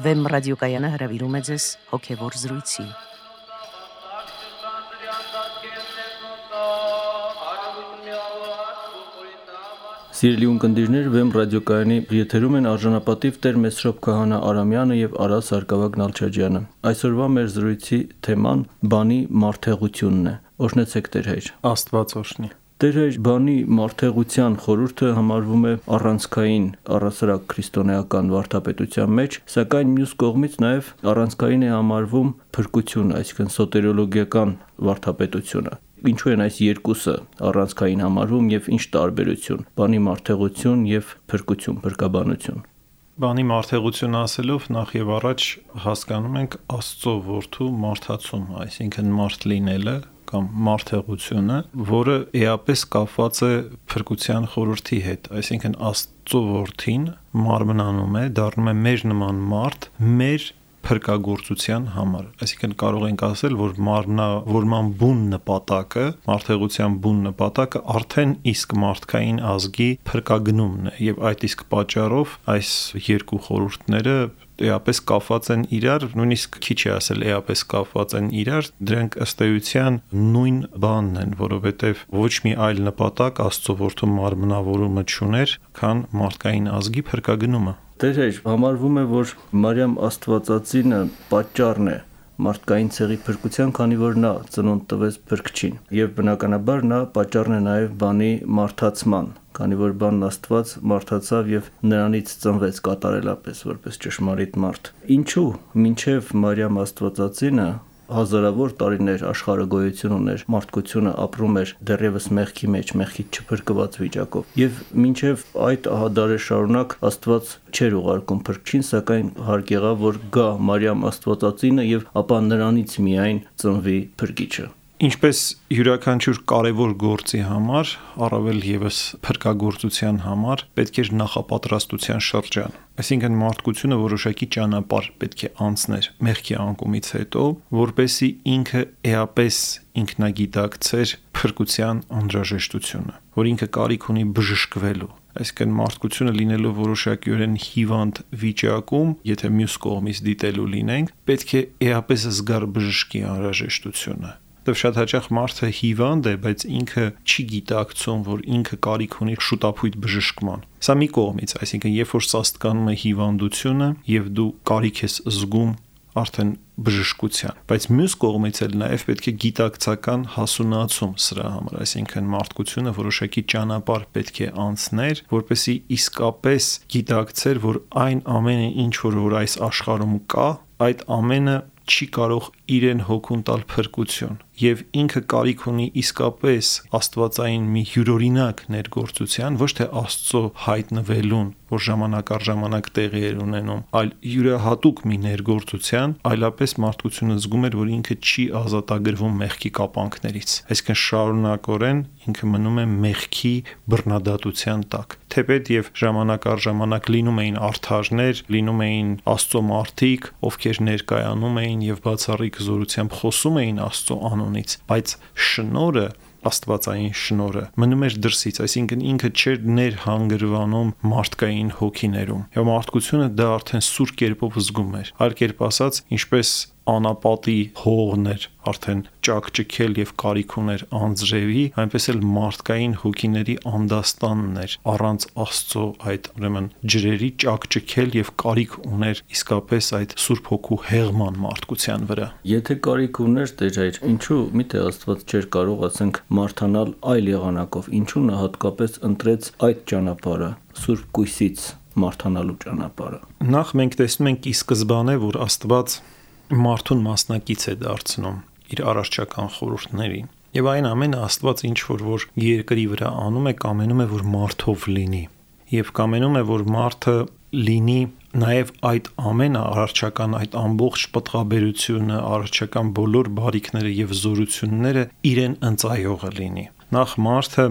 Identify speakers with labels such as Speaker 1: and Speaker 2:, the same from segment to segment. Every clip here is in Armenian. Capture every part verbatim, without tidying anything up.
Speaker 1: Վեմ ռադիոկայանը հրավիրում է ձեզ հոգևոր զրույցի։
Speaker 2: Սիրելի ունկնդիրներ, Վեմ ռադիոկայանի եթերում են արժանապատիվ Տեր Մեսրոպ Քահանա Արամյանը եւ Արա Սարգսակ Նալչաջյանը։ Այսօրվա մեր զրույցի թեման բանի մարդեղությունն է։ Օրհնեցեք Տեր հայր։
Speaker 3: Աստված օրհնի։
Speaker 2: Տեր հայր, բանի մարդեղության խորհուրդը համարվում է առանցքային առասարակ քրիստոնեական վարդապետության մեջ, սակայն մյուս կողմից նաեւ առանցքային է համարվում փրկությունը, այսինքն սոտերոլոգիական վարդապետությունը։ Ինչու են այս երկուսը առանցքային համարվում եւ ինչ տարբերություն՝ բանի մարդեղություն եւ փրկություն, փրկաբանություն։
Speaker 3: Բանի մարդեղություն ասելով նախ եւ առաջ հասկանում ենք Աստծո որդու մարդացում, այսինքն մարդ լինելը կամ մարդեղությունը, որը էապես կապված է փրկության խորհրդի հետ, այսինքն Աստծո որդին մարմնանում է, դառնում է մեր նման մարդ, մեր փրկագործության համար։ Այսինքն կարող ենք ասել, որ մարմնավորման բուն նպատակը, մարդեղության բուն նպատակը արդեն իսկ մարդկային ազգի փրկագնումն է, եւ այդ իսկ պատճառով այս երկու խորհուրդները էապես կապված են իրար, նույնիսկ քիչ է ասել էապես կապված են իրար, դրանք ըստ էության նույն բանն են, որովհետեւ ոչ մի այլ նպատակ Աստծո որդու մարմնավորումը չուներ, քան մարդկային ազգի փրկագնումը։
Speaker 2: Տեր հայր, համարվում է, որ Մարիամ Աստվածածինը պատճառն է մարդկային ցեղի փրկության, քանի որ նա ծնունդ տվեց փրկչին, եւ բնականաբար նա պատճառն է նաեւ բանի մարդացման, քանի որ բանն Աստված մարդացավ եւ նրանից ծնվեց կատարելապես որպես ճշմարիտ մարդ։ Ինչու մինչեւ Մարիամ Աստվածածինը հազարավոր տարիներ աշխարհը գոյություն ուներ, մարդկությունը ապրում էր դեռևս մեղքի մեջ, մեղքից չփրկված վիճակով, եւ մինչեւ այդ ահադարը շարունակ Աստված չէր ուղարկում փրկչին, սակայն հարկ եղավ, որ գա Մարիամ Աստվածածինը եւ ապա նրանից միայն ծնվի փրկիչը։
Speaker 3: Ինչպես յուրաքանչյուր կարևոր գործի համար, առավել եւս փրկագործության համար, պետք է նախապատրաստության շրջան։ Այսինքն մարդկությունը որոշակի ճանապարհ պետք է անցներ մեղքի անկումից հետո, որպեսզի ինքը էապես ինքնագիտակցեր փրկության անհրաժեշտությունը, որ ինքը կարիք ունի բժշկվելու։ Այսինքն մարդկությունը լինելով որոշակիորեն հիվանդ վիճակում, եթե մյուս կողմից դիտելու լինենք, պետք է էապես զգար բժշկի անհրաժեշտությունը։ Դեռ շատ հաճախ մարդը հիվանդ է, բայց ինքը չի գիտակցում, որ ինքը կարիք ունի շուտապույտ բժշկման։ Սա մի կողմից, այսինքն երբ որ սաստկանում է հիվանդությունը եւ դու կարիք ես զգում արդեն բժշկության, բայց մյուս կողմից էլ նաեւ պետք է գիտակցական հասունացում սրա համար, այսինքն մարդկությունը որոշակի ճանապարհ պետք է անցներ, որպեսզի իսկապես գիտակցեր, որ այն ամենը, ինչ որ, որ այս աշխարհում կա, այդ ամենը չի կարող իրեն հոգուն տալ փրկություն, եւ ինքը կարիք ունի իսկապես աստվածային մի յուրօրինակ ներգործության, ոչ թե Աստծո հայտնվելուն, որ ժամանակ առ ժամանակ տեղի էր ունենում, այլ յուրահատուկ մի ներգործության, այլապես մարդկությունը զգում էր, որ ինքը չի ազատագրվում մեղքի կապանքներից, այսինքն շարունակորեն ինքը մնում է մեղքի բռնադատության տակ, թեպետ եւ ժամանակ առ ժամանակ լինում էին արդարներ, լինում էին Աստծո մարդիկ, ովքեր ներկայանում էին եւ բացառիկ զորությամբ խոսում էին Աստծո անունից, բայց շնորհը, աստվածային շնորհը մնում էր դրսից, այսինքն ինքը չէր ներհանգրվանում մարդկային հոգիներում։ Եվ մարդկությունը դա արդեն սուր կերպով զգում էր։ Այլ կերպ ասած, ինչպես անապատի հողն էր արդեն ճակճքել եւ կարիք ուներ անձրևի, այնպես էլ մարդկային հոգիների անդաստանն էր առանց Աստծո այդ ուրեմն ջրերի ճակճքել եւ կարիք ուներ իսկապես այդ Սուրբ Հոգու հեղման մարդկության վրա։
Speaker 2: Եթե կարիք ուներ Տեր հայր, ինչու միթե Աստված չէր կարող ասենք մարդանալ այլ եղանակով, ինչու նա հատկապես ընտրեց այդ ճանապարհը, Սուրբ Կույսից մարդանալու ճանապարհը։
Speaker 3: Նախ մենք տեսնում ենք ի սկզբանե, որ Աստված մարդուն մասնակից է դարձնում իր առարչական խորհուրդներին։ Եվ այն ամենը Աստված ինչ որ որ երկրի վրա անում է, կամենում է, որ մարդով լինի։ Եվ կամենում է, որ մարդը լինի նաև այդ ամենը առարչական, այդ ամբողջ պտղաբերությունը, առարչական բոլոր բարիքները եւ զորությունները իրեն ընծայողը լինի։ Նախ մարդը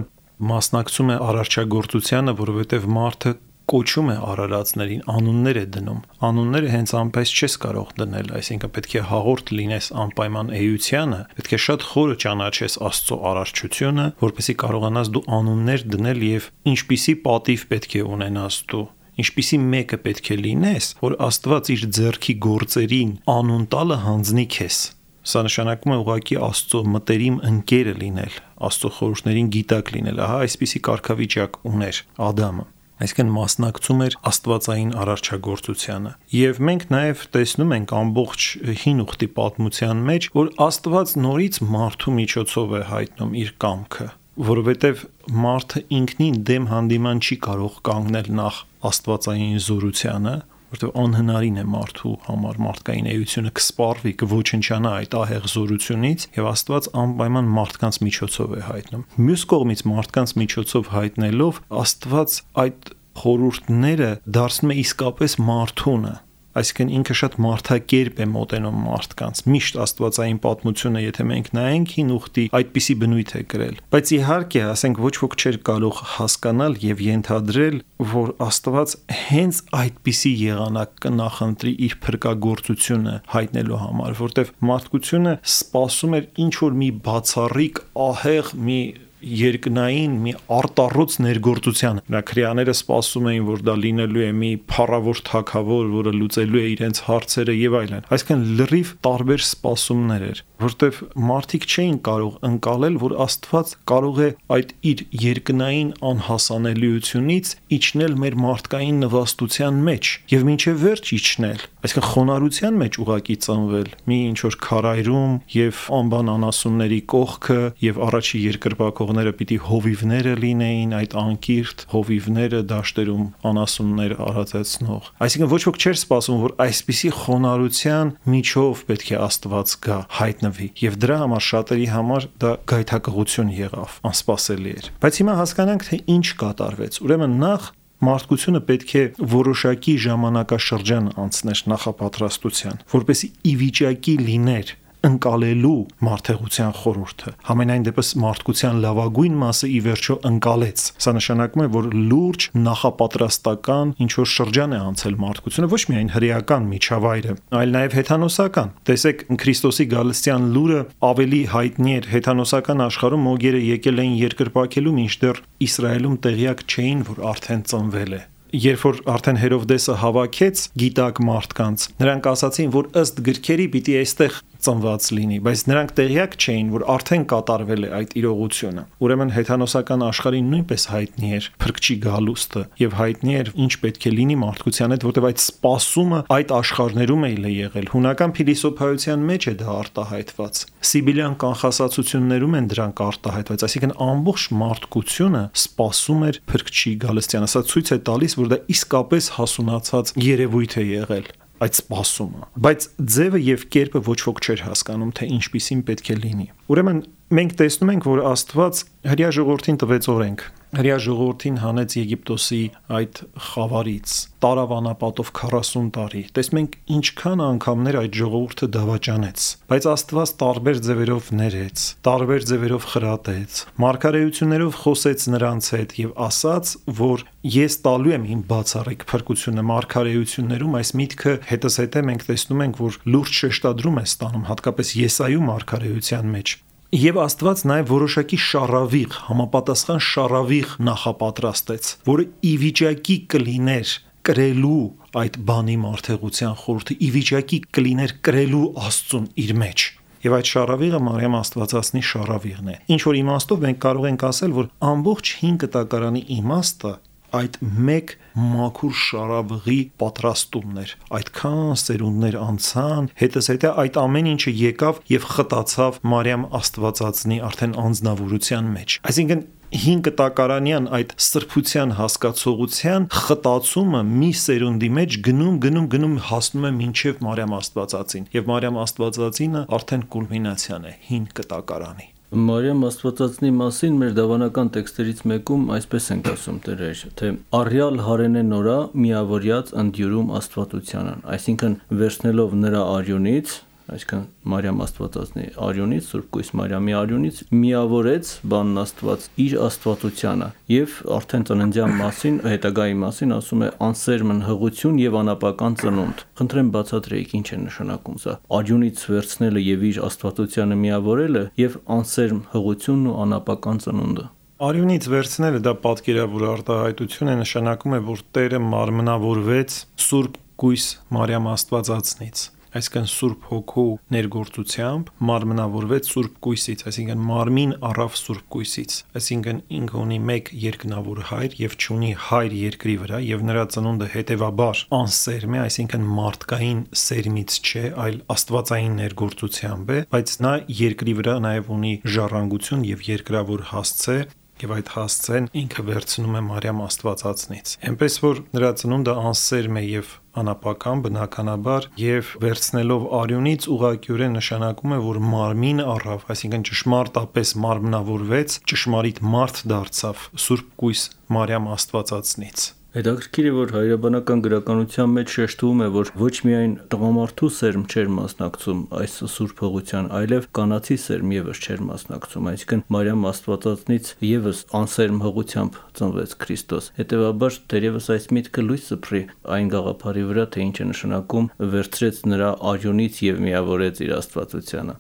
Speaker 3: մասնակցում է առարչագործությանը, որովհետեւ մարդը կոչում է արարածներին, անուններ է դնում։ Անունները հենց անպես չես կարող դնել, այսինքն պետք է հաղորդ լինես անպայման էությանը, պետք է շատ խորը ճանաչես Աստծո արարչությունը, որպեսզի կարողանաս դու անուններ դնել եւ ինչպիսի պատիվ պետք է ունենաս դու, ինչպիսի մեկը պետք է լինես, որ Աստված իր ձեռքի գործերին անուն տալը հանձնի քեզ։ Սա նշանակում է ուղղակի Աստծո մտերիմ ընկերը լինել, Աստծո խորհուրդներին գիտակ լինել։ Ահա այսպիսի կարգավիճակ ուներ Ադամը։ Այսինքն մասնակցում էր աստվածային արարչագործությանը։ Եվ մենք նաև տեսնում ենք ամբողջ հին ուխտի պատմության մեջ, որ Աստված նորից մարդու միջոցով է հայտնում իր կամքը, որովհետև մարդը ինքնին դեմ հանդիման չի կարող կանգնել նախ աստվածային զորությանը, որտեղ անհնարին է մարդու համար մարդկային էությունը կսպառվի, կոչնչանա այդ ահեղ զորությունից, եւ Աստված անպայման մարդկանց միջոցով է հայտնում։ Մյուս կողմից մարդկանց միջոցով հայտնելով Աստված այդ խորհուրդները դարձնում է իսկապես մարդունը, այսինքն ինքը շատ մարդակերպ է մոտենում մարդկանց։ Միշտ աստվածային պատմությունը, եթե մենք նայենք հին ուխտի, այդպիսի բնույթ է կրել։ Բայց իհարկե, ասենք, ոչ ոք չէր կարող հասկանալ եւ ենթադրել, որ Աստված հենց այդպիսի եղանակ կնախընտրի իր փրկagorցությունը հայտնելու համար, որտեվ մարդկությունը սպասում էր ինչ որ մի բացառիկ ահեղ մի երկնային մի արտառոց ներգործության։ Նրա քրեաները սպասում էին, որ դա լինելու է մի փառավոր թագավոր, որը լուծելու է իրենց հարցերը եւ այլն։ Այսինքն լրիվ տարբեր սպասումներ էր, որտեվ մարդիկ չէին կարող ընկալել, որ Աստված կարող է այդ իր երկնային անհասանելիությունից իջնել մեր մարդկային նվաստության մեջ եւ մինչեւ վերջ իջնել։ Այսինքն խոնարհության մեջ ուղակի ծնվել, մի ինչ որ քարայրում եւ անբան անասունների կողքը եւ առաջի երկրպագողները պիտի հովիվները լինեին, այդ անկիրթ հովիվները դաշտերում անասուններ արածեցնող։ Այսինքն ոչ ոք չէր սպասում, որ այսպիսի խոնարհության միջով պետք է Աստված գա, հայտնվի, եւ դրա համար շատերի համար դա գայթակղություն եղավ, անսպասելի էր։ Բայց հիմա հասկանանք, թե ինչ կատարվեց։ Ուրեմն նախ մարդկությունը պետք է որոշակի ժամանակաշրջան անցներ նախապատրաստության, որպեսզի ի վիճակի լիներ ընկալելու մարդեղության խորհուրդը։ Համենայն դեպս մարդկության լավագույն մասը ի վերջո ընկալեց։ Սա նշանակում է, որ լուրջ նախապատրաստական ինչ որ շրջան է անցել մարդկությունը, ոչ միայն հրեական միջավայրը, այլ նաև հեթանոսական։ Տեսեք, Քրիստոսի գալստյան լուրը ավելի հայտնի էր հեթանոսական աշխարհում, մոգերը եկել էին երկրպագելու, մինչդեռ Իսրայելում տեղյակ չէին, որ արդեն ծնվել է։ Երբ որ արդեն Հերովդեսը հավաքեց գիտակ մարդկանց, նրանք ասացին, որ ըստ գրքերի պիտի այստեղ ծնված լինի, բայց նրանք տեղյակ չէին, որ արդեն կատարվել է այդ իրողությունը։ Ուրեմն հեթանոսական աշխարհին նույնպես հայտնի էր փրկչի գալուստը եւ հայտնի էր ինչ պետք է լինի մարդկության հետ, որտեղ այդ սպասումը այդ աշխարհներում է եղել։ Հունական փիլիսոփայության մեջ է դա արտահայտված։ Սիբիլյան կանխասացություններում են դրանք արտահայտված, այսինքն ամբողջ մարդկությունը սպասում էր փրկչի գալստյանը։ Սա ցույց է տալիս, որ դա իսկապես հասունացած երևույթ է եղել այդ սպասումը, բայց ձևը եւ կերպը ոչ ոք չէր հասկանում, թե ինչպիսին պետք է լինի։ Ուրեմն մենք տեսնում ենք, որ Աստված հրյա ժողովրդին տվեց օրենք, հրյա ժողովրդին հանեց Եգիպտոսի այդ խավարից, տարավ անապատով քառասուն տարի։ Տեսնում ենք ինչքան անգամներ այդ ժողովուրդը դավաճանեց, բայց Աստված տարբեր ձևերով ներեց, տարբեր ձևերով խրատեց, մարգարեություններով խոսեց նրանց հետ եւ ասաց, որ ես տալու եմ իմ բացառիկ փրկությունը։ Մարգարեություններում այս միտքը հետզհետե մենք տեսնում ենք, որ լուրջ շեշտադրում է ստանում, հատկապես Եսայու մարգարեության մեջ։ Եվ Աստված նաև որոշակի շարավիղ, համապատասխան շարավիղ նախապատրաստեց, որը ի վիճակի կլիներ կրելու այդ բանի մարդեղության խորհուրդը, ի վիճակի կլիներ կրելու Աստծուն իր մեջ։ Եվ այդ շարավիղը Մարիամ Աստվածածնի շարավիղն է։ Ինչ որ իմաստով մենք կարող ենք ասել, որ ամբողջ հին կտակարանի իմաստը այդ մեկ մաքուր շարավղի պատրաստումն էր։ Այդքան սերունդներ անցան, հետզհետե այդ ամեն ինչը եկավ եւ խտացավ Մարիամ Աստվածածնի արդեն անձնավորության մեջ։ Այսինքն հին կտակարանյան այդ սրբության հասկացողության խտացումը մի սերունդի մեջ գնում, գնում, գնում հասնում է մինչև Մարիամ Աստվածածին, եւ Մարիամ Աստվածածինը արդեն կուլմինացիան է հին կտակարանի։
Speaker 2: Մարիամ Աստվածածնի մասին մեր դավանական տեքստերից մեկում այսպես ենք ասում տերեր, թե առյալ հարենե նորա միավորյաց ընդյուրում Աստվածությանն, այսինքն վերցնելով նրա արյունից, այսինքն Մարիամ Աստվածածնի արյունից, Սուրբ Կույս Մարիամի արյունից միավորեց բանն Աստված իր Աստվածությանը եւ արդեն ծննդյան մասին, հետագայի մասին ասում է անսերմն հղություն եւ անապական ծնունդ։ Խնդրեմ բացատրեիք ինչ է նշանակում սա։ Արյունից վերցնելը եւ իր Աստվածությանը միավորելը եւ անսերմ հղությունն ու անապական ծնունդը։
Speaker 3: Արյունից վերցնելը դա պատկերավոր արտահայտություն է, նշանակում է, որ Տերը մարմնավորվեց Սուրբ Գույս Մարիամ Աստվածածնից, այսինքն Սուրբ Հոգու ներգործությամբ մարմնավորվեց Սուրբ Գույսից, այսինքն մարմին առավ Սուրբ Գույսից, այսինքն ինքը ունի մեկ երկնավոր հայր եւ չունի հայր երկրի վրա եւ նրա ծնունդը հետեւաբար անսերմ է, այսինքն մարդկային սերմից չէ, այլ աստվածային ներգործությամբ է, բայց նա երկրի վրա նաեւ ունի ժառանգություն եւ երկրավոր հասցե եւ այդ հասցեն ինքը վերցնում է Մարիամ Աստվածածնից։ Էնպես որ նրա ծնունդը անսերմ է եւ անապական բնականաբար եւ վերցնելով արյունից ուղղակիորեն նշանակում է, որ մարմին առավ, այսինքն ճշմարտապես մարմնավորվեց, ճշմարիտ մարդ դարձավ Սուրբ Գույս Մարիամ Աստվածածնից։
Speaker 2: Հետաքրքիր է, որ հայրաբանական գրականության մեջ շեշտվում է, որ ոչ միայն տղամարդու սերմ չէր մասնակցում այս սուրբ հողության, այլև կանացի սերմ եւս չէր մասնակցում, այսինքն Մարիամ Աստվածածնից եւս անսերմ հողությամբ ծնվեց Քրիստոս։ Հետևաբար դերևս այս միտքը լույս սփռի այն գաղափարի վրա, թե ինչ է նշանակում վերցրեց նրա արյունից եւ միավորեց իր աստվածությանը։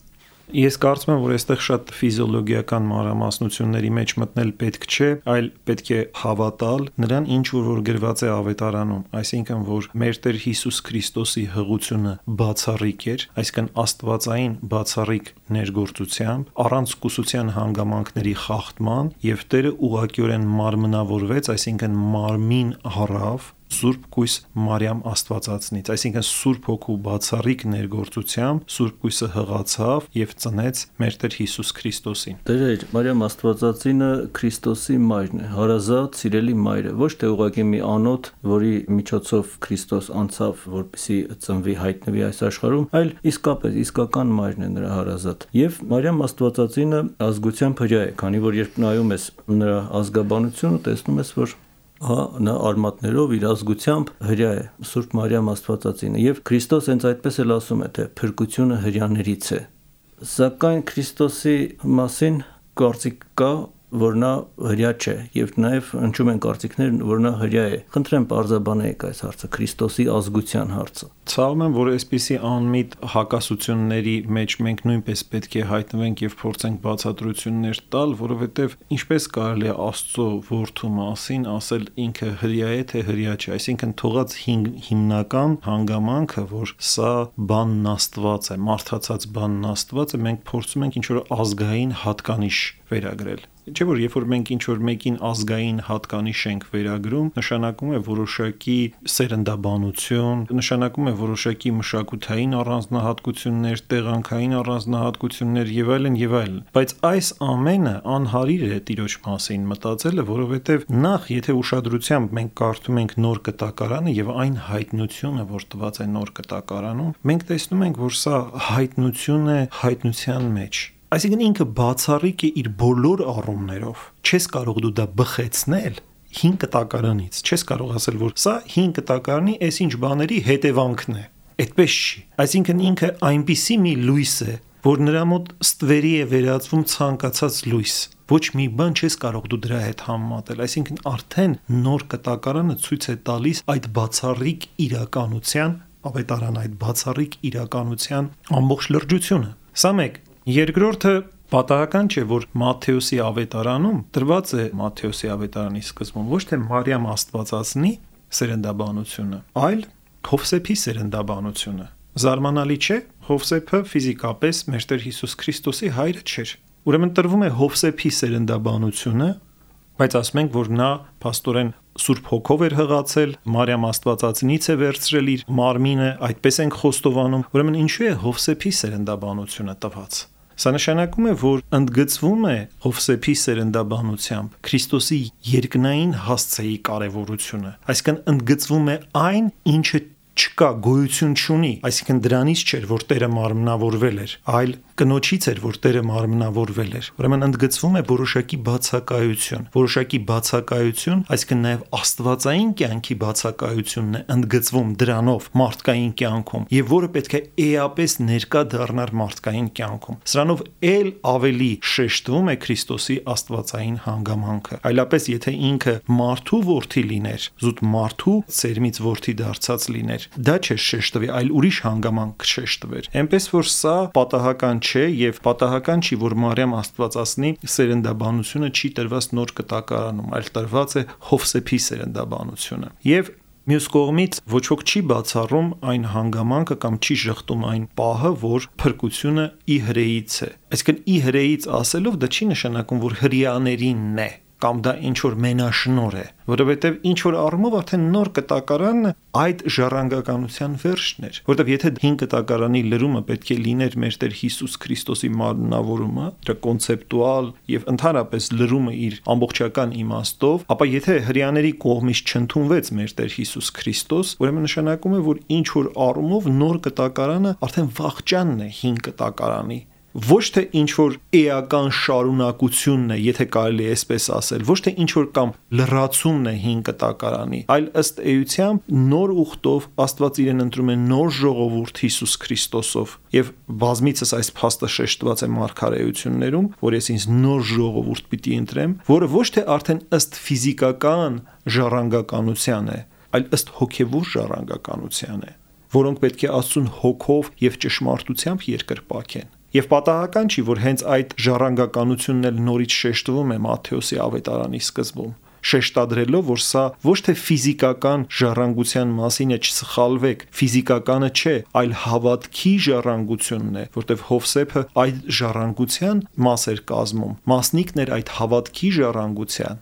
Speaker 3: Ես կարծում եմ, որ այստեղ շատ ֆիզիոլոգիական մանրամասնությունների մեջ մտնել պետք չէ, այլ պետք է հավատալ նրան, ինչ որ գրված է Ավետարանում, այսինքն որ մեր Տեր Հիսուս Քրիստոսի հղությունը բացառիկ էր, այսինքն աստվածային բացառիկ ներգործությամբ, առանց կուսության հանգամանքների խախտման, եւ Տերը ուղղակիորեն մարմնավորվեց, այսինքն մարմին առավ Սուրբ Գույս Մարիամ Աստվածածնից, այսինքն Սուրբ Հոգու բացառիկ ներգործությամբ Սուրբ Գույսը հղացավ եւ ծնեց մեր Տեր Հիսուս Քրիստոսին։
Speaker 2: Տեր Մարիամ Աստվածածինը Քրիստոսի մայրն է, հարազատ, սիրելի մայրը, ոչ թե ուղղակի մի անոթ, որի միջոցով Քրիստոս անցավ, որպեսզի ծնվի, հայտնվի այս աշխարհում, այլ իսկապես իսկական մայրն է նրա հարազատ։ Եվ Մարիամ Աստվածածինը ազգությամբ հրյա է, քանի որ երբ նայում ես նրա ազգաբանությունը, տեսնում ես, որ հա նա արմատներով իր ազգությամբ հրյա է, Սուրբ Մարիամ Աստվածածինը, եւ Քրիստոս հենց այդպես էլ ասում է, թե փրկությունը հրյաներից է։ Սակայն Քրիստոսի մասին կարծիք կա, որ նա հրյա չէ, եւ նաեւ հնչում են կարծիքներ, որ նա հրյա է։ Խնդրեմ պարզաբանեք այս հարցը, Քրիստոսի ազգության հարցը։
Speaker 3: Ցավում եմ, որ այսպիսի անմիտ հակասությունների մեջ մենք նույնպես պետք է հայտնվենք եւ փորձենք բացատրություններ տալ, որովհետեւ ինչպես կարելի է Աստծո որդու մասին ասել ինքը հրյա է, թե հրյա չէ, այսինքն թողած հիմնական հանգամանքը, որ սա բանն Աստված է, մարդացած բանն Աստված է, մենք փորձում ենք ինչ որ ազգային հատկանիշ վերագրել։ Չէ՞ որ երբ որ մենք ինչ որ մեկին ազգային հատկանիշ ենք վերագրում, նշանակում է որոշակի սերնդաբանություն, նշանակում է որոշակի մշակութային առանձնահատկություններ, տեղանքային առանձնահատկություններ եւ այլն եւ այլն։ Բայց այս ամենը անհարիր է Տիրոջ մասին մտածելը, որովհետեւ նախ եթե ուշադրությամբ մենք կարդում ենք Նոր Կտակարանը եւ այն հայտնությունը, որ տված է Նոր Կտակարանում, մենք տեսնում ենք, որ սա հայտնություն է հայտնության մեջ։ Այսինքն ինքը բացառիկ է իր բոլոր առումներով։ Չես կարող դու դա բխեցնել հին կտակարանից։ Չես կարող ասել, որ սա հին կտակարանի այսինչ բաների հետևանքն է։ Այդպես չի։ Այսինքն ինքը այնպիսի մի լույս է, որ նրա մոտ ստվերի է վերածվում ցանկացած լույս։ Ոչ մի բան չես կարող դու դրա հետ համեմատել։ Այսինքն արդեն Նոր Կտակարանը ցույց է տալիս այդ բացառիկ իրականության, ավետարան այդ բացառիկ իրականության ամբողջ լրջությունը։ Սա մեկ։ Երկրորդը պատահական չէ, որ Մատթեոսի ավետարանում տրված է Մատթեոսի ավետարանի սկզբում ոչ թե Մարիամ Աստվածածնի սերնդաբանությունը, այլ Հովսեփի սերնդաբանությունը։ Զարմանալի չէ, Հովսեփը ֆիզիկապես մեր Տեր Հիսուս Քրիստոսի հայրը չէր։ Ուրեմն տրվում է Հովսեփի սերնդաբանությունը, բայց ասում ենք, որ նա փաստորեն Սուրբ Հոգով էր հղացել, Մարիամ Աստվածածնից է վերցրել իր մարմինը, այդպես ենք խոստովանում։ Ուրեմն ինչու է Հովսեփի սերնդաբանությունը տված։ Սա նշանակում է, որ ընդգծվում է Հովսեփի սերնդաբանությամբ Քրիստոսի երկնային հասցեի կարևորությունը, այսինքն ընդգծվում է այն, ինչը չկա, գոյություն չունի, այսինքն դրանից չէր, որ Տերը մարմնավորվել էր, այլ կնոջից էր, որ Տերը մարմնավորվել էր։ Ուրեմն ընդգծվում է որոշակի բացակայություն, որոշակի բացակայություն, այսինքն նաև աստվածային կյանքի բացակայությունն է ընդգծվում դրանով մարդկային կյանքում, եւ որը պետք է էապես ներկա դառնար մարդկային կյանքում։ Սրանով ել ավելի շեշտվում է Քրիստոսի աստվածային հանգամանքը։ Այլապես եթե ինքը մարդու որդի լիներ, զուտ մարդու սերմից որդի դարձած լիներ, լիներ։ Դա չէ շեշտվի, այլ ուրիշ հանգամանք շեշտվեր։ Էնպես որ սա պատահական չէ եւ պատահական չի, որ Մարիամ Աստվածածնի սերնդաբանությունը չի տրված նոր կտակարանում, այլ տրված է Հովսեփի սերնդաբանությունը։ Եվ մյուս կողմից ոչ ոք չի բացառում այն հանգամանքը կամ չի շղթում այն պահը, որ փրկությունը ի հրեից է։ Այսինքն ի հրեից ասելով դա չի նշանակում, որ հրեաներինն է կամ դա ինչ որ մենաշնոր է, որովհետև ինչ որ առումով արդեն նոր կտակարանը այդ ժառանգականության վերջն էր, որովհետև եթե հին կտակարանի լրումը պետք է լիներ մեր Տեր Հիսուս Քրիստոսի մարմնավորումը, դրա կոնցեպտուալ եւ ընդհանրապես լրումը իր ամբողջական իմաստով, ապա եթե հрьяաների կողմից չընդունվեց մեր Տեր Հիսուս Քրիստոս, ուրեմն նշանակում է, որ ինչ որ առումով նոր կտակարանը արդեն վաղճանն է հին կտակարանի ոչ թե ինչ որ էական շարունակությունն է, եթե կարելի է այսպես ասել, ոչ թե ինչ որ կամ լրացումն է հին կտակարանի, այլ ըստ էության նոր ուխտով Աստված իրեն ընտրում է նոր ժողովուրդ Հիսուս Քրիստոսով եւ բազմիցս այս փաստը շեշտված է մարգարեություններում, որ ես ինձ նոր ժողովուրդ պիտի ընտրեմ, որը ոչ թե արդեն ըստ ֆիզիկական ժառանգականության է, այլ ըստ հոգեվոր ժառանգականության է, որոնք պետք է Աստծուն հոգով եւ ճշմարտությամբ երկրպագեն։ Եվ պատահական չի, որ հենց այդ ժառանգականությունն էլ նորից շեշտվում է Մատթեոսի ավետարանի սկզբում, շեշտադրելով, որ սա ոչ թե ֆիզիկական ժառանգության մասին է, չսխալվեք, ֆիզիկականը չէ, այլ հավատքի ժառանգությունն է, որտեղ Հովսեփը այդ ժառանգության մաս էր կազմում, մասնիկն էր այդ հավատքի ժառանգության,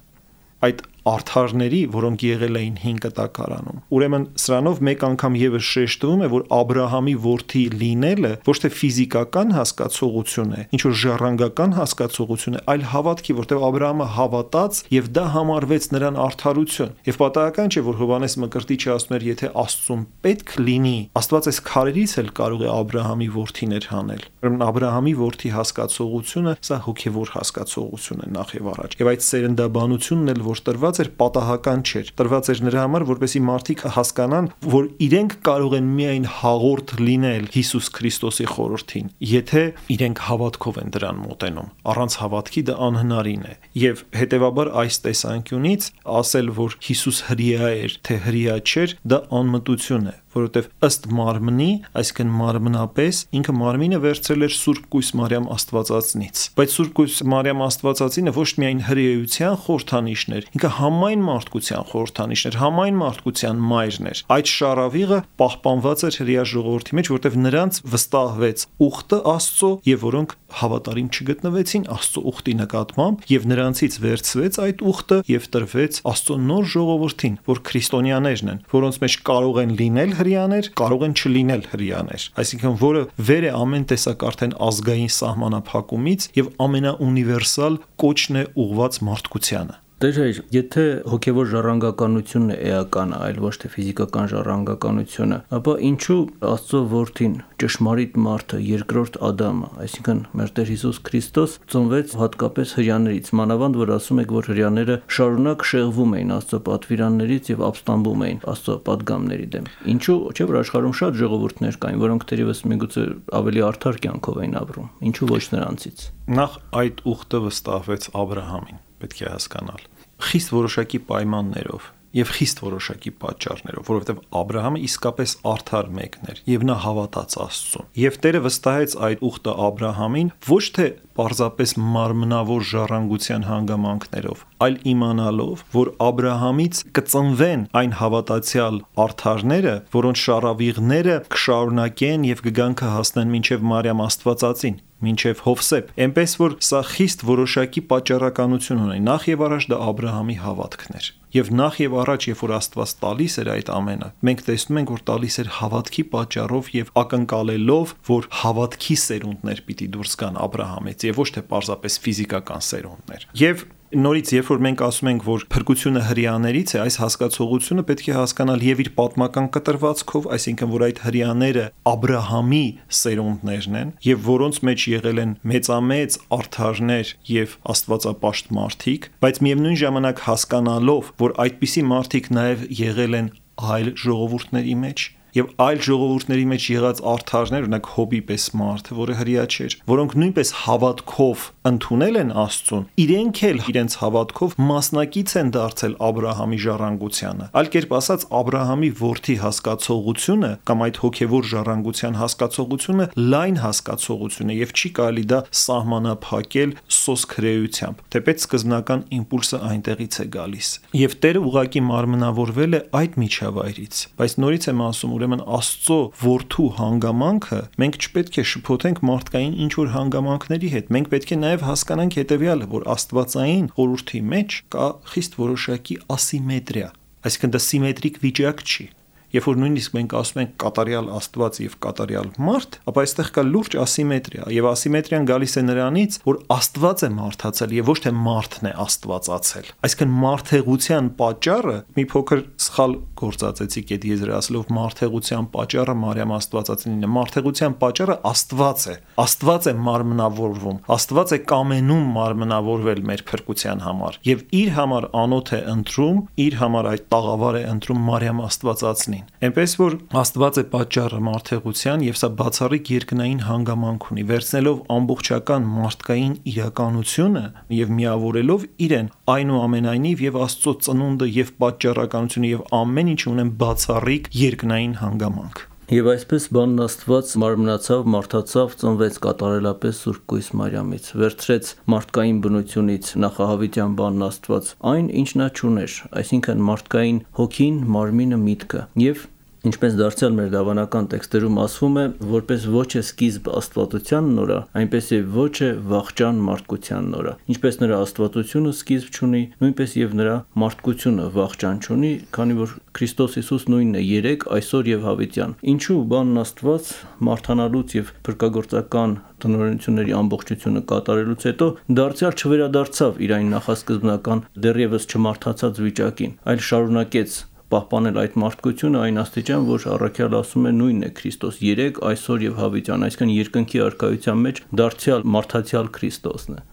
Speaker 3: այդ արդարների, որոնք եղել էին հին կտակարանում։ Ուրեմն սրանով մեկ անգամ եւս շեշտվում է, որ Աբրահամի որդի լինելը ոչ թե ֆիզիկական հասկացողություն է, ինչ որ ժառանգական հասկացողություն է, այլ հավատքի, որտեղ Աբրահամը հավատաց եւ դա համարվեց նրան արդարություն։ Եվ պատահական չէ, որ Հովհաննես Մկրտիչը ասում էր, եթե Աստծուն պետք լինի, Աստված այս քարերից էլ կարող է Աբրահամի որդիներ հանել։ Ուրեմն Աբրահամի որդի հասկացողությունը սա հոգեվոր հասկացողություն է նախ եւ առաջ։ Եվ այդ սերնդաբանությունն էլ որ տրված էր պատահական չէր, տրված էր նրա համար, որպեսզի մարդիկ հասկանան, որ իրենք կարող են միայն հաղորդ լինել Հիսուս Քրիստոսի խորհրդին, եթե իրենք հավատքով են դրան մոտենում։ Առանց հավատքի դա անհնարին է։ Եվ հետևաբար այս տեսանկյունից ասել, որ Հիսուս հրեա էր, թե հրեա չէր, դա անմտություն է, որովհետև ըստ մարմնի, այսինքն մարմնապես, ինքը մարմինը վերցրել էր Սուրբ Կույս Մարիամ Աստվածածնից։ Բայց Սուրբ Կույս Մարիամ Աստվածածինը ոչ միայն հրեայության խորհրդանիշն էր, ինքը համայն մարդկության խորհրդանիշն էր, համայն մարդկության մայրն էր։ Այդ շարավիղը պահպանված էր հրեա ժողովրդի մեջ, որովհետև նրանց վստահվեց ուխտը Աստծո, եւ որոնք հավատարիմ չգտնվեցին Աստծո ուխտի նկատմամբ, եւ նրանցից վերցվեց այդ ուխտը եւ տրվեց Աստծո նոր ժողովրդին, որ քրիստոնյաներն են, որոնց մեջ կարող են լինել հրեաներ, կարող են չլինել հրեաներ, այսինքն որը վեր է ամեն տեսակ արդեն ազգային սահմանափակումից եւ ամենաունիվերսալ կոչն է ուղված մարդկությանը։
Speaker 2: Տեր հայր, եթե հոգևոր ժառանգականությունն է էական, այլ ոչ թե ֆիզիկական ժառանգականությունը, ապա ինչու Աստծո որդին, ճշմարիտ մարդը, երկրորդ Ադամը, այսինքն մեր Տեր Հիսուս Քրիստոս ծնվեց հատկապես հրեաներից, մանավանդ որ ասում եք, որ հրեաները շարունակ շեղվում էին Աստծո պատվիրաններից եւ ապստամբում էին Աստծո պատգամների դեմ։ Ինչու՞ չէ՞ որ աշխարհում շատ ժողովուրդներ կային, որոնք թերևս միգուցե ավելի արդար կյանքով էին ապրում։ Ինչու ոչ նրանցից։
Speaker 3: Նախ այդ ուխտը վստահվեց Աբրահամին, պետք է հասկանալ, խիստ որոշակի պայմաններով եւ խիստ որոշակի պատճառներով, որովհետեւ Աբրահամը իսկապես արդար մեկն էր եւ նա հավատաց Աստծուն։ Եվ Տերը վստահեց այդ ուխտը Աբրահամին ոչ թե պարզապես մարմնավոր ժառանգության հանգամանքներով, այլ իմանալով, որ Աբրահամից կծնվեն այն հավատացյալ արդարները, որոնց շարավիղները կշարունակեն եւ կգան կհասնեն մինչեւ Մարիամ Աստվածածին, մինչև Հովսեփ, այնպես որ սա խիստ որոշակի պատճառականություն ունի։ Նախ եւ առաջ դա Աբրահամի հավատքն էր։ Եվ նախ եւ առաջ, երբ որ Աստված տալիս էր այդ ամենը, մենք տեսնում ենք, որ տալիս էր հավատքի պատճառով եւ ակնկալելով, որ հավատքի սերունդներ պիտի դուրս գան Աբրահամից եւ ոչ թե պարզապես ֆիզիկական սերունդներ։ Եվ նորից, երբ որ մենք ասում ենք, որ փրկությունը հրեաներից է, այս հասկացողությունը պետք է հասկանալ եւ իր պատմական կտրվածքով, այսինքն որ այդ հրեաները Աբրահամի սերունդներն են եւ որոնց մեջ եղել են մեծամեծ արդարներ եւ աստվածապաշտ մարդիկ, բայց միևնույն ժամանակ հասկանալով, որ այդպիսի մարդիկ նաեւ եղել են այլ ժողովուրդների մեջ Եվ այլ ժողովուրդների մեջ եղած արդարներ, օրինակ Հոբի պես մարդը, որը հրյա չէր, որոնք նույնպես հավատքով ընդունել են Աստծուն, իրենք էլ իրենց հավատքով մասնակից են դարձել Աբրահամի ժառանգությանը։ Այլ կերպ ասած, Աբրահամի որդի հասկացողությունը կամ այդ հոգևոր ժառանգության հասկացողությունը լայն հասկացողություն է եւ չի կարելի դա սահմանափակել սոսկ հրեությամբ, թեպետ սկզբնական իմպուլսը այնտեղից է գալիս։ Եվ Տերը ուղղակի մարմնավորվել է այդ միջավայրից, բայց նորից եմ ասում, ուրեմն Աստծո որդու հանգամանքը մենք չպետք է շփոթենք մարդկային ինչ որ հանգամանքների հետ։ Մենք պետք է նաև հասկանանք հետևյալը, որ աստվածային խորհրդի մեջ կա խիստ որոշակի ասիմետրիա, այսինքն դա սիմետրիկ վիճակ չի։ Երբ որ նույնիսկ մենք ասում ենք կատարյալ Աստված եւ կատարյալ մարդ, ապա այստեղ կա լուրջ ասիմետրիա, եւ ասիմետրիան գալիս է նրանից, որ Աստված է մարդացել եւ ոչ թե մարդն է աստվածացել։ Այսինքն մարդեղության պատճառը մի փոքր սխալ գործածեցիք այդ եզրահասելով մարդեղության պատճառը Մարիամ Աստվածածինն է։ Մարդեղության պատճառը Աստված է։ Աստված է մարմնավորվում։ Աստված է կամենում մարմնավորվել մեր փրկության համար եւ իր համար անոթ է ընտրում, իր համար այդ տաղավար է ընտրում Մարիամ Աստվածածնին։ Այնպես որ Աստված է պատճառը մարդեղության եւ սա բացառիկ երկնային հանգամանք ունի, վերցնելով ամբողջական մարդկային իրականությունը եւ միավորելով իրեն այնուամենայնիվ եւ Աստծո ծնունդը եւ պատճառականությունը եւ ամեն ինչ ունեն բացառիկ երկնային հանգամանք։
Speaker 2: Եվ այսպես բանն Աստված մարմնացավ, մարդացավ, ծնվեց կատարելապես Սուրբ Կույս Մարիամից, վերցրեց մարդկային բնությունից նախահավիտյան բանն Աստված այն, ինչ նա չուներ, այսինքն մարդկային հոգին, մարմինը, միտքը, եւ ինչպես դարձյալ մեր դավանական տեքստերում ասվում է, որպես ոչ է սկիզբ աստվածության նորա, այնպես եւ ոչ է վախճան մարդկության նորա։ Ինչպես նրա աստվածությունը սկիզբ չունի, նույնպես եւ նրա մարդկությունը վախճան չունի, քանի որ Քրիստոս Հիսուս նույնն է երեք, այսօր եւ հավիտյան։ Ինչու բանն Աստված մարդանալուց եւ փրկagorցական տնօրենությունների ամբողջությունը կատարելուց հետո դարձյալ չվերադարձավ իր այն նախասկզբնական դեռևս չմարթացած վիճակին, այլ շարունակեց պահպանել այդ մարդկությունը այն աստիճան, որ առաքյալը ասում է նույնն է Քրիստոս երեք, այսօր եւ հավիտյան, այսինքն երկնքի արքայության մեջ դարձյալ մարդացյալ Քրիստոսն է։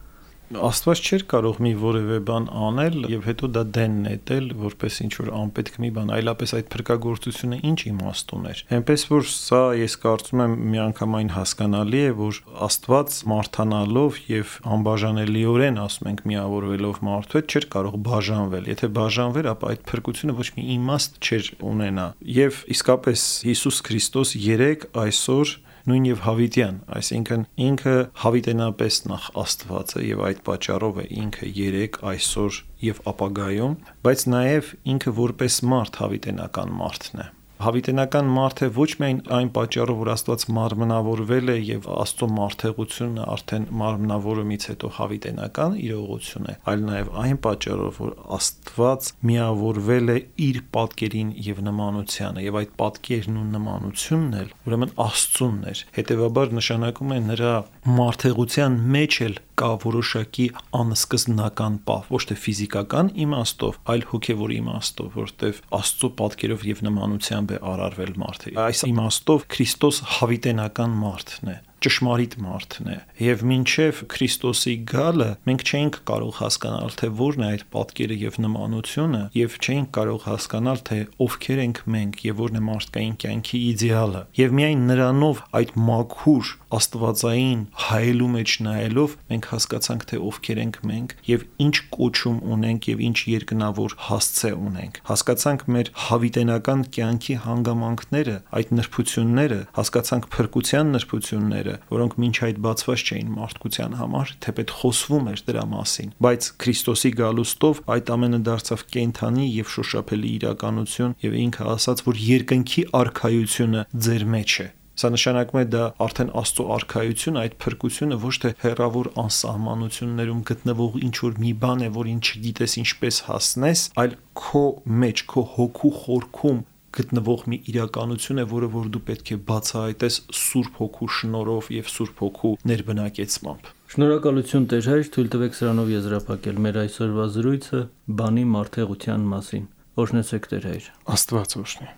Speaker 3: Աստված չէր կարող մի որևէ բան անել եւ հետո դա դեն նետել որպես ինչ որ անպետք մի բան, այլապես այդ փրկagorցությունը ինչ իմաստ ուներ։ Այնպես որ սա ես կարծում եմ միանգամայն հասկանալի է, որ Աստված մարդանալով եւ անբաժանելիորեն ասում ենք միավորվելով մարդու հետ չէր կարող բաժանվել։ Եթե բաժանվեր, ապա այդ փրկությունը ոչ մի իմաստ չէր ունենա։ Եվ իսկապես Հիսուս Քրիստոս երեք, այսօր նույն եւ հավիտյան, այսինքն ինքը հավիտենապես նախ Աստված է եւ այդ պատճառով է ինքը երեք, այսօր եւ ապագայում, բայց նաեւ ինքը որպես մարդ հավիտենական մարդն է։ Հավիտենական մարդ է ոչ միայն այն պատճառով, որ Աստված մարմնավորվել է եւ Աստծո մարդեղությունը արդեն մարմնավորումից հետո հավիտենական իրողություն է, այլ նաեւ այն պատճառով, որ Աստված միավորվել է իր պատկերին եւ նմանությանը եւ այդ պատկերն ու նմանությունն էլ ուրեմն Աստծունն էր։ Հետևաբար նշանակում է նրա մարդեղության մեջ էլ կա որոշակի անսկզբնական պահ, ոչ թե ֆիզիկական իմաստով, այլ հոգևոր իմաստով, որտեղ Աստծո պատկերով եւ նմանությամբ է արարվել մարդը։ Այս իմաստով Քրիստոս հավիտենական մարդն է, ճշմարիտ մարդն է եւ մինչեւ Քրիստոսի գալը մենք չենք կարող հասկանալ թե որն է այդ պատկերը եւ նմանությունը եւ չենք կարող հասկանալ թե ովքեր ենք մենք եւ որն է մարդկային կյանքի իդեալը եւ միայն նրանով այդ մաքուր աստվածային հայելու մեջ նայելով մենք հասկացանք թե ովքեր ենք մենք եւ ինչ կոչում ունենք եւ ինչ երկնավոր հասցե ունենք, հասկացանք մեր հավիտենական կյանքի հանգամանքները, այդ նրբությունները, հասկացանք փրկության նրբությունները, որոնք մինչ այդ բացված չէին մարդկության համար, թեպետ խոսվում էր դրա մասին, բայց Քրիստոսի գալուստով այդ ամենը դարձավ կենդանի եւ շոշափելի իրականություն եւ ինքը ասաց, որ երկնքի արքայությունը ձեր մեջ է։ Սա նշանակում է դա արդեն Աստծո արքայությունը, այդ փրկությունը ոչ թե հեռավոր անսահմանություններում գտնվող ինչ որ մի բան է, որին չգիտես ինչպես հասնես, այլ քո մեջ, քո հոգու խորքում գտնվող մի իրականություն է, որը որ դու պետք է բացահայտես Սուրբ Հոգու շնորհով եւ Սուրբ Հոգու ներբնակեցմամբ։
Speaker 2: Շնորհակալություն Տեր հայր, թույլ տվեք սրանով եզրափակել մեր այսօրվա զրույցը բանի մարդեղության մասին։ Օրհնեցեք Տեր հայր։
Speaker 3: Աստված օրհնի։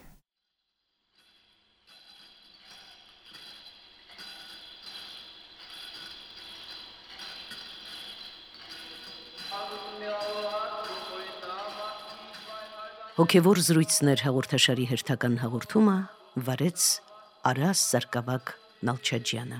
Speaker 1: Հոգևոր զրույցներ հաղորդաշարի հերթական հաղորդումը վարեց Արաս Սարգսակ Նալչաջյանը։